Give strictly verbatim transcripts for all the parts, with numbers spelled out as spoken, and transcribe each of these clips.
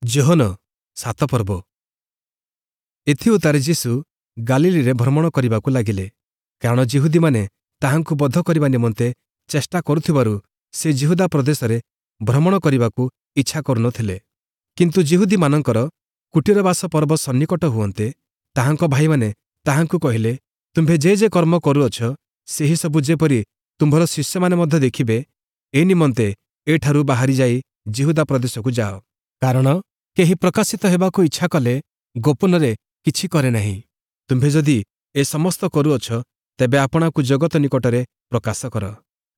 ଯୋହନ ସାତ ପର୍ବ ଏଥିଉତ୍ତାରେ ଯୀଶୁ ଗାଲିଲୀରେ ଭ୍ରମଣ କରିବାକୁ ଲାଗିଲେ, କାରଣ ଯିହୁଦୀମାନେ ତାହାଙ୍କୁ ବଧ କରିବା ନିମନ୍ତେ ଚେଷ୍ଟା କରୁଥିବାରୁ ସେ ଯିହୁଦା ପ୍ରଦେଶରେ ଭ୍ରମଣ କରିବାକୁ ଇଚ୍ଛା କରୁନଥିଲେ। କିନ୍ତୁ ଯିହୁଦୀମାନଙ୍କର କୁଟୀରବାସ ପର୍ବ ସନ୍ନିକଟ ହୁଅନ୍ତେ, ତାହାଙ୍କ ଭାଇମାନେ ତାହାଙ୍କୁ କହିଲେ, ତୁମ୍ଭେ ଯେ ଯେ କର୍ମ କରୁଅଛ, ସେହିସବୁ ଯେପରି ତୁମ୍ଭର ଶିଷ୍ୟମାନେ ମଧ୍ୟ ଦେଖିବେ, ଏ ନିମନ୍ତେ ଏଠାରୁ ବାହାରି ଯାଇ ଯିହୁଦା ପ୍ରଦେଶକୁ ଯାଅ। କାରଣ କେହି ପ୍ରକାଶିତ ହେବାକୁ ଇଚ୍ଛା କଲେ ଗୋପନରେ କିଛି କରେ ନାହିଁ। ତୁମ୍ଭେ ଯଦି ଏ ସମସ୍ତ କରୁଅଛ, ତେବେ ଆପଣାକୁ ଜଗତ ନିକଟରେ ପ୍ରକାଶ କର।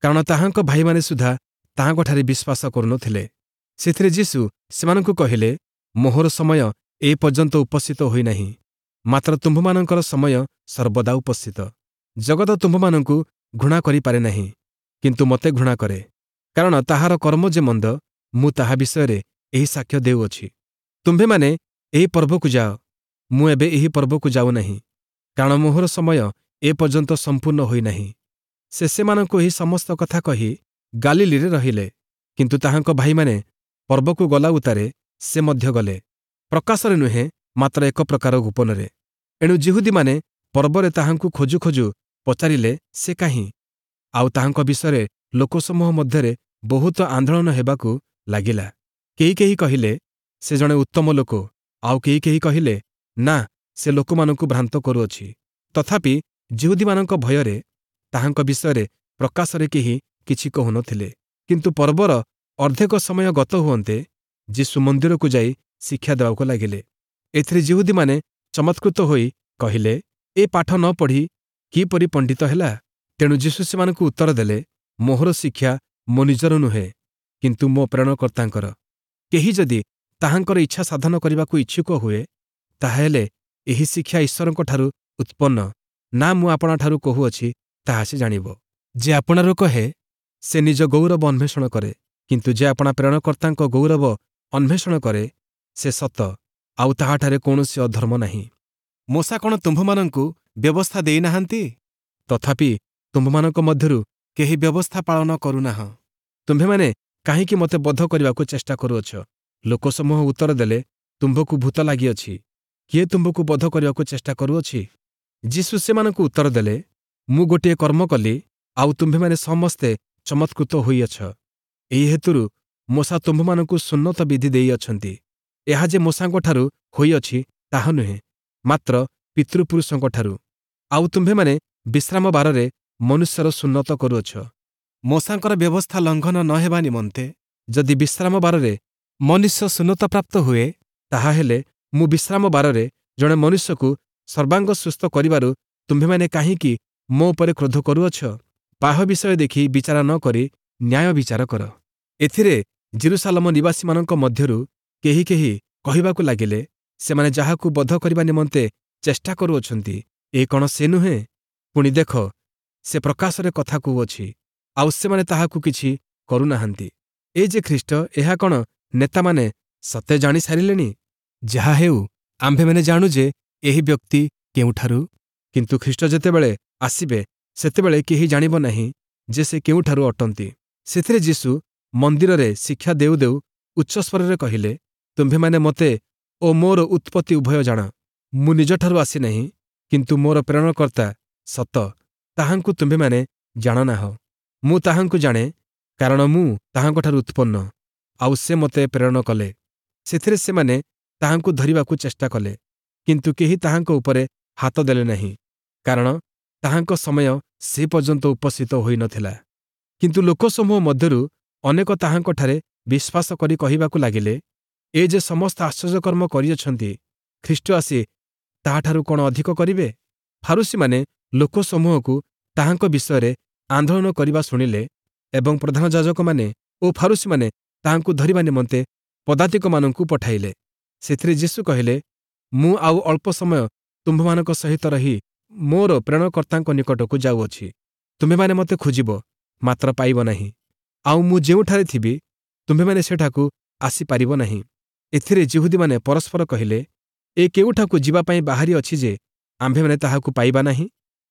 କାରଣ ତାହାଙ୍କ ଭାଇମାନେ ସୁଦ୍ଧା ତାହାଙ୍କଠାରେ ବିଶ୍ୱାସ କରୁନଥିଲେ। ସେଥିରେ ଯୀଶୁ ସେମାନଙ୍କୁ କହିଲେ, ମୋହର ସମୟ ଏ ପର୍ଯ୍ୟନ୍ତ ଉପସ୍ଥିତ ହୋଇନାହିଁ, ମାତ୍ର ତୁମ୍ଭମାନଙ୍କର ସମୟ ସର୍ବଦା ଉପସ୍ଥିତ। ଜଗତ ତୁମ୍ଭମାନଙ୍କୁ ଘୃଣା କରିପାରେ ନାହିଁ, କିନ୍ତୁ ମୋତେ ଘୃଣା କରେ, କାରଣ ତାହାର କର୍ମ ଯେ ମନ୍ଦ, ମୁଁ ତାହା ବିଷୟରେ ଏହି ସାକ୍ଷ୍ୟ ଦେଉଅଛି। ତୁମ୍ଭେମାନେ ଏହି ପର୍ବକୁ ଯାଅ, ମୁଁ ଏବେ ଏହି ପର୍ବକୁ ଯାଉନାହିଁ, କାରଣ ମୋହର ସମୟ ଏ ପର୍ଯ୍ୟନ୍ତ ସମ୍ପୂର୍ଣ୍ଣ ହୋଇନାହିଁ। ସେ ସେମାନଙ୍କୁ ଏହି ସମସ୍ତ କଥା କହି ଗାଲିଲୀରେ ରହିଲେ। କିନ୍ତୁ ତାହାଙ୍କ ଭାଇମାନେ ପର୍ବକୁ ଗଲା ଉତ୍ତାରେ ସେ ମଧ୍ୟ ଗଲେ, ପ୍ରକାଶରେ ନୁହେଁ, ମାତ୍ର ଏକ ପ୍ରକାର ଗୋପନରେ। ଏଣୁ ଯିହୁଦୀମାନେ ପର୍ବରେ ତାହାଙ୍କୁ ଖୋଜୁ ଖୋଜୁ ପଚାରିଲେ, ସେ କାହିଁ? ଆଉ ତାହାଙ୍କ ବିଷୟରେ ଲୋକସମୂହ ମଧ୍ୟରେ ବହୁତ ଆନ୍ଦୋଳନ ହେବାକୁ ଲାଗିଲା। କେହି କେହି କହିଲେ, ସେ ଜଣେ ଉତ୍ତମ ଲୋକ, ଆଉ କେହି କେହି କହିଲେ, ନା, ସେ ଲୋକମାନଙ୍କୁ ଭ୍ରାନ୍ତ କରୁଅଛି। ତଥାପି ଯିହୁଦୀମାନଙ୍କ ଭୟରେ ତାହାଙ୍କ ବିଷୟରେ ପ୍ରକାଶରେ କେହି କିଛି କହୁନଥିଲେ। କିନ୍ତୁ ପର୍ବର ଅର୍ଦ୍ଧେକ ସମୟ ଗତ ହୁଅନ୍ତେ ଯୀଶୁ ମନ୍ଦିରକୁ ଯାଇ ଶିକ୍ଷା ଦେବାକୁ ଲାଗିଲେ। ଏଥିରେ ଯିହୁଦୀମାନେ ଚମତ୍କୃତ ହୋଇ କହିଲେ, ଏ ପାଠ ନ ପଢ଼ି କିପରି ପଣ୍ଡିତ ହେଲା? ତେଣୁ ଯୀଶୁ ସେମାନଙ୍କୁ ଉତ୍ତର ଦେଲେ, ମୋହର ଶିକ୍ଷା ମୋ ନିଜର ନୁହେଁ, କିନ୍ତୁ ମୋ ପ୍ରେରଣକର୍ତ୍ତାଙ୍କର। କେହି ଯଦି ତାହାଙ୍କର ଇଚ୍ଛା ସାଧନ କରିବାକୁ ଇଚ୍ଛୁକ ହୁଏ, ତାହାହେଲେ ଏହି ଶିକ୍ଷା ଈଶ୍ୱରଙ୍କଠାରୁ ଉତ୍ପନ୍ନ ନା ମୁଁ ଆପଣାଠାରୁ କହୁଅଛି, ତାହା ସେ ଜାଣିବ। ଯେ ଆପଣାରୁ କହେ, ସେ ନିଜ ଗୌରବ ଅନ୍ୱେଷଣ କରେ, କିନ୍ତୁ ଯେ ଆପଣା ପ୍ରେରଣକର୍ତ୍ତାଙ୍କ ଗୌରବ ଅନ୍ୱେଷଣ କରେ, ସେ ସତ, ଆଉ ତାହାଠାରେ କୌଣସି ଅଧର୍ମ ନାହିଁ। ମୋଶା କ'ଣ ତୁମ୍ଭମାନଙ୍କୁ ବ୍ୟବସ୍ଥା ଦେଇନାହାନ୍ତି? ତଥାପି ତୁମ୍ଭମାନଙ୍କ ମଧ୍ୟରୁ କେହି ବ୍ୟବସ୍ଥା ପାଳନ କରୁନାହଁ। ତୁମ୍ଭେମାନେ କାହିଁକି ମୋତେ ବଧ କରିବାକୁ ଚେଷ୍ଟା କରୁଅଛ? ଲୋକସମୂହ ଉତ୍ତର ଦେଲେ, ତୁମ୍ଭକୁ ଭୂତ ଲାଗିଅଛି, କିଏ ତୁମ୍ଭକୁ ବଧ କରିବାକୁ ଚେଷ୍ଟା କରୁଅଛି? ଯୀଶୁ ସେମାନଙ୍କୁ ଉତ୍ତର ଦେଲେ, ମୁଁ ଗୋଟିଏ କର୍ମ କଲି, ଆଉ ତୁମ୍ଭେମାନେ ସମସ୍ତେ ଚମତ୍କୃତ ହୋଇଅଛ। ଏହି ହେତୁରୁ ମୋଶା ତୁମ୍ଭମାନଙ୍କୁ ସୁନ୍ନତ ବିଧି ଦେଇଅଛନ୍ତି। ଏହା ଯେ ମୋଶାଙ୍କଠାରୁ ହୋଇଅଛି ତାହା ନୁହେଁ, ମାତ୍ର ପିତୃପୁରୁଷଙ୍କଠାରୁ। ଆଉ ତୁମ୍ଭେମାନେ ବିଶ୍ରାମ ବାରରେ ମନୁଷ୍ୟର ସୁନ୍ନତ କରୁଅଛ। ମୋଶାଙ୍କର ବ୍ୟବସ୍ଥା ଲଙ୍ଘନ ନ ହେବା ନିମନ୍ତେ ଯଦି ବିଶ୍ରାମ ବାରରେ ମନୁଷ୍ୟ ସୁନ୍ନତପ୍ରାପ୍ତ ହୁଏ, ତାହାହେଲେ ମୁଁ ବିଶ୍ରାମ ବାରରେ ଜଣେ ମନୁଷ୍ୟକୁ ସର୍ବାଙ୍ଗ ସୁସ୍ଥ କରିବାରୁ ତୁମ୍ଭେମାନେ କାହିଁକି ମୋ ଉପରେ କ୍ରୋଧ କରୁଅଛ? ବାହ୍ୟ ବିଷୟ ଦେଖି ବିଚାର ନ କରି ନ୍ୟାୟ ବିଚାର କର। ଏଥିରେ ଯିରୂଶାଲମ ନିବାସୀମାନଙ୍କ ମଧ୍ୟରୁ କେହି କେହି କହିବାକୁ ଲାଗିଲେ, ସେମାନେ ଯାହାକୁ ବଧ କରିବା ନିମନ୍ତେ ଚେଷ୍ଟା କରୁଅଛନ୍ତି, ଏ କ'ଣ ସେ ନୁହେଁ? ପୁଣି ଦେଖ, ସେ ପ୍ରକାଶରେ କଥା କହୁଅଛି, ଆଉ ସେମାନେ ତାହାକୁ କିଛି କରୁନାହାନ୍ତି। ଏ ଯେ ଖ୍ରୀଷ୍ଟ, ଏହା କ'ଣ ନେତାମାନେ ସତେ ଜାଣିସାରିଲେଣି? ଯାହା ହେଉ, ଆମ୍ଭେମାନେ ଜାଣୁ ଯେ ଏହି ବ୍ୟକ୍ତି କେଉଁଠାରୁ, କିନ୍ତୁ ଖ୍ରୀଷ୍ଟ ଯେତେବେଳେ ଆସିବେ, ସେତେବେଳେ କେହି ଜାଣିବ ନାହିଁ ଯେ ସେ କେଉଁଠାରୁ ଅଟନ୍ତି। ସେଥିରେ ଯୀଶୁ ମନ୍ଦିରରେ ଶିକ୍ଷା ଦେଉ ଦେଉ ଉଚ୍ଚସ୍ୱରରେ କହିଲେ, ତୁମ୍ଭେମାନେ ମୋତେ ଓ ମୋର ଉତ୍ପତ୍ତି ଉଭୟ ଜାଣ। ମୁଁ ନିଜଠାରୁ ଆସିନାହିଁ, କିନ୍ତୁ ମୋର ପ୍ରେରଣକର୍ତ୍ତା ସତ, ତାହାଙ୍କୁ ତୁମ୍ଭେମାନେ ଜାଣ ନାହଁ। ମୁଁ ତାହାଙ୍କୁ ଜାଣେ, କାରଣ ମୁଁ ତାହାଙ୍କଠାରୁ ଉତ୍ପନ୍ନ, ଆଉ ସେ ମୋତେ ପ୍ରେରଣ କଲେ। ସେଥିରେ ସେମାନେ ତାହାଙ୍କୁ ଧରିବାକୁ ଚେଷ୍ଟା କଲେ, କିନ୍ତୁ କେହି ତାହାଙ୍କ ଉପରେ ହାତ ଦେଲେ ନାହିଁ, କାରଣ ତାହାଙ୍କ ସମୟ ସେ ପର୍ଯ୍ୟନ୍ତ ଉପସ୍ଥିତ ହୋଇନଥିଲା। କିନ୍ତୁ ଲୋକସମୂହ ମଧ୍ୟରୁ ଅନେକ ତାହାଙ୍କଠାରେ ବିଶ୍ୱାସ କରି କହିବାକୁ ଲାଗିଲେ, ଏ ଯେ ସମସ୍ତ ଆଶ୍ଚର୍ଯ୍ୟକର୍ମ କରିଅଛନ୍ତି, ଖ୍ରୀଷ୍ଟ ଆସି ତାହାଠାରୁ କ'ଣ ଅଧିକ କରିବେ? ଫାରୂଶୀମାନେ ଲୋକସମୂହକୁ ତାହାଙ୍କ ବିଷୟରେ ଆନ୍ଦୋଳନ କରିବା ଶୁଣିଲେ ଏବଂ ପ୍ରଧାନ ଯାଜକମାନେ ଓ ଫାରୂଶୀମାନେ ତାହାଙ୍କୁ ଧରିବା ନିମନ୍ତେ ପଦାତିକମାନଙ୍କୁ ପଠାଇଲେ। ସେଥିରେ ଯୀଶୁ କହିଲେ, ମୁଁ ଆଉ ଅଳ୍ପ ସମୟ ତୁମ୍ଭମାନଙ୍କ ସହିତ ରହି ମୋର ପ୍ରେରଣକର୍ତ୍ତାଙ୍କ ନିକଟକୁ ଯାଉଅଛି। ତୁମ୍ଭେମାନେ ମୋତେ ଖୋଜିବ, ମାତ୍ର ପାଇବ ନାହିଁ, ଆଉ ମୁଁ ଯେଉଁଠାରେ ଥିବି ତୁମ୍ଭେମାନେ ସେଠାକୁ ଆସିପାରିବ ନାହିଁ। ଏଥିରେ ଯିହୁଦୀମାନେ ପରସ୍ପର କହିଲେ, ଏ କେଉଁଠାକୁ ଯିବା ପାଇଁ ବାହାରି ଅଛି ଯେ ଆମ୍ଭେମାନେ ତାହାକୁ ପାଇବା ନାହିଁ?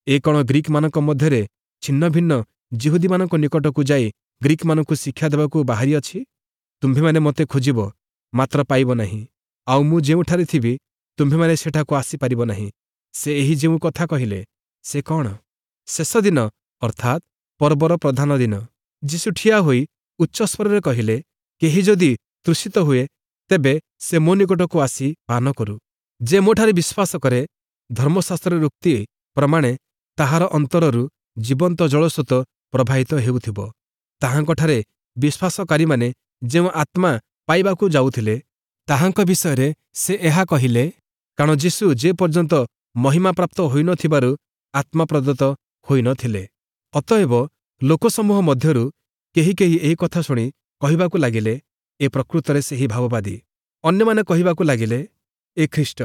ଏ କ'ଣ ଗ୍ରୀକମାନଙ୍କ ମଧ୍ୟରେ ଛିନ୍ନ ଭିନ୍ନ ଯିହୁଦୀମାନଙ୍କ ନିକଟକୁ ଯାଇ ଗ୍ରୀକମାନଙ୍କୁ ଶିକ୍ଷା ଦେବାକୁ ବାହାରି ଅଛି? ତୁମ୍ଭେମାନେ ମୋତେ ଖୋଜିବ, ମାତ୍ର ପାଇବ ନାହିଁ। ଆଉ ମୁଁ ଯେଉଁଠାରେ ଥିବି, ତୁମ୍ଭେମାନେ ସେଠାକୁ ଆସିପାରିବ ନାହିଁ। ସେ ଏହି ଯେଉଁ କଥା କହିଲେ, ସେ କଣ? ଶେଷ ଦିନ ଅର୍ଥାତ୍ ପର୍ବର ପ୍ରଧାନ ଦିନ, ଯୀଶୁ ଠିଆ ହୋଇ ଉଚ୍ଚସ୍ୱରରେ କହିଲେ, କେହି ଯଦି ତୃଷିତ ହୁଏ, ତେବେ ସେ ମୋ ନିକଟକୁ ଆସି ପାନ କରୁ। ଯେ ମୋଠାରେ ବିଶ୍ୱାସ କରେ, ଧର୍ମଶାସ୍ତ୍ରର ଉକ୍ତି ପ୍ରମାଣେ ତାହାର ଅନ୍ତରରୁ ଜୀବନ୍ତ ଜଳସ୍ରୋତ ପ୍ରବାହିତ ହେଉଥିବ। ତାହାଙ୍କଠାରେ ବିଶ୍ୱାସକାରୀମାନେ ଯେଉଁ ଆତ୍ମା ପାଇବାକୁ ଯାଉଥିଲେ, ତାହାଙ୍କ ବିଷୟରେ ସେ ଏହା କହିଲେ, କାରଣ ଯୀଶୁ ଯେ ପର୍ଯ୍ୟନ୍ତ ମହିମାପ୍ରାପ୍ତ ହୋଇନଥିବାରୁ ଆତ୍ମା ପ୍ରଦତ୍ତ ହୋଇନଥିଲେ। ଅତଏବ ଲୋକସମୂହ ମଧ୍ୟରୁ କେହି କେହି ଏହି କଥା ଶୁଣି କହିବାକୁ ଲାଗିଲେ, ଏ ପ୍ରକୃତରେ ସେହି ଭାବବାଦୀ। ଅନ୍ୟମାନେ କହିବାକୁ ଲାଗିଲେ, ଏ ଖ୍ରୀଷ୍ଟ।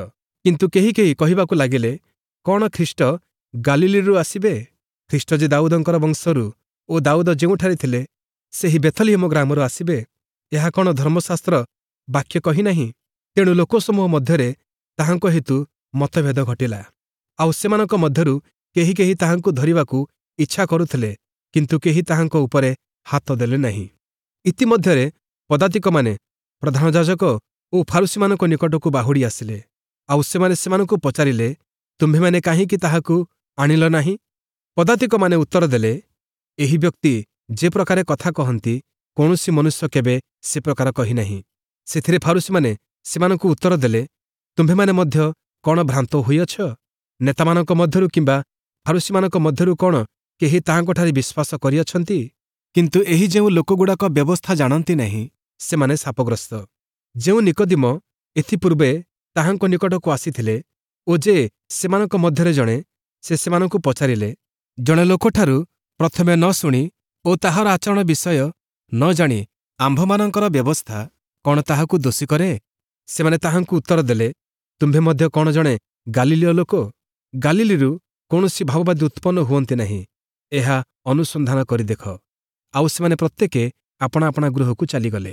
କିନ୍ତୁ କେହି କେହି କହିବାକୁ ଲାଗିଲେ, କଣ ଖ୍ରୀଷ୍ଟ ଗାଲିଲିରୁ ଆସିବେ? ଖ୍ରୀଷ୍ଟ ଯେ ଦାଉଦଙ୍କର ବଂଶରୁ ଓ ଦାଉଦ ଯେଉଁଠାରେ ଥିଲେ, ସେହି ବେଥଲିହମ ଗ୍ରାମରୁ ଆସିବେ, ଏହା କଣ ଧର୍ମଶାସ୍ତ୍ର ବାକ୍ୟ କହିନାହିଁ? ତେଣୁ ଲୋକସମୂହ ମଧ୍ୟରେ ତାହାଙ୍କ ହେତୁ ମତଭେଦ ଘଟିଲା। ଆଉ ସେମାନଙ୍କ ମଧ୍ୟରୁ କେହି କେହି ତାହାଙ୍କୁ ଧରିବାକୁ ଇଚ୍ଛା କରୁଥିଲେ, କିନ୍ତୁ କେହି ତାହାଙ୍କ ଉପରେ ହାତ ଦେଲେ ନାହିଁ। ଇତିମଧ୍ୟରେ ପଦାତିକମାନେ ପ୍ରଧାନ ଯାଜକ ଓ ଫାରୁସୀମାନଙ୍କ ନିକଟକୁ ବାହୁଡ଼ି ଆସିଲେ। ଆଉ ସେମାନେ ସେମାନଙ୍କୁ ପଚାରିଲେ, ତୁମ୍ଭେମାନେ କାହିଁକି ତାହାକୁ ଆଣିଲ ନାହିଁ? ପଦାତିକମାନେ ଉତ୍ତର ଦେଲେ, ଏହି ବ୍ୟକ୍ତି ଯେ ପ୍ରକାରେ କଥା କହନ୍ତି, କୌଣସି ମନୁଷ୍ୟ କେବେ ସେ ପ୍ରକାର କହିନାହିଁ। ସେଥିରେ ଫାରୁସୀମାନେ ସେମାନଙ୍କୁ ଉତ୍ତର ଦେଲେ, ତୁମ୍ଭେମାନେ ମଧ୍ୟ କଣ ଭ୍ରାନ୍ତ ହୋଇଅଛ? ନେତାମାନଙ୍କ ମଧ୍ୟରୁ କିମ୍ବା ଫାରୁସୀମାନଙ୍କ ମଧ୍ୟରୁ କଣ କେହି ତାହାଙ୍କଠାରେ ବିଶ୍ୱାସ କରିଅଛନ୍ତି? କିନ୍ତୁ ଏହି ଯେଉଁ ଲୋକଗୁଡ଼ାକ ବ୍ୟବସ୍ଥା ଜାଣନ୍ତି ନାହିଁ, ସେମାନେ ଶାପଗ୍ରସ୍ତ। ଯେଉଁ ନିକଦିମ ଏଥିପୂର୍ବେ ତାହାଙ୍କ ନିକଟକୁ ଆସିଥିଲେ ଓ ଯେ ସେମାନଙ୍କ ମଧ୍ୟରେ ଜଣେ, ସେ ସେମାନଙ୍କୁ ପଚାରିଲେ, ଜଣେ ଲୋକଠାରୁ ପ୍ରଥମେ ନ ଶୁଣି ଓ ତାହାର ଆଚରଣ ବିଷୟ ନ ଜାଣି ଆମ୍ଭମାନଙ୍କର ବ୍ୟବସ୍ଥା କଣ ତାହାକୁ ଦୋଷୀ କରେ? ସେମାନେ ତାହାଙ୍କୁ ଉତ୍ତର ଦେଲେ, ତୁମ୍ଭେ ମଧ୍ୟ କଣ ଜଣେ ଗାଲିଲୀୟ ଲୋକ? ଗାଲିଲିରୁ କୌଣସି ଭାବବାଦୀ ଉତ୍ପନ୍ନ ହୁଅନ୍ତି ନାହିଁ, ଏହା ଅନୁସନ୍ଧାନ କରି ଦେଖ। ଆଉ ସେମାନେ ପ୍ରତ୍ୟେକେ ଆପଣା ଆପଣା ଗୃହକୁ ଚାଲିଗଲେ।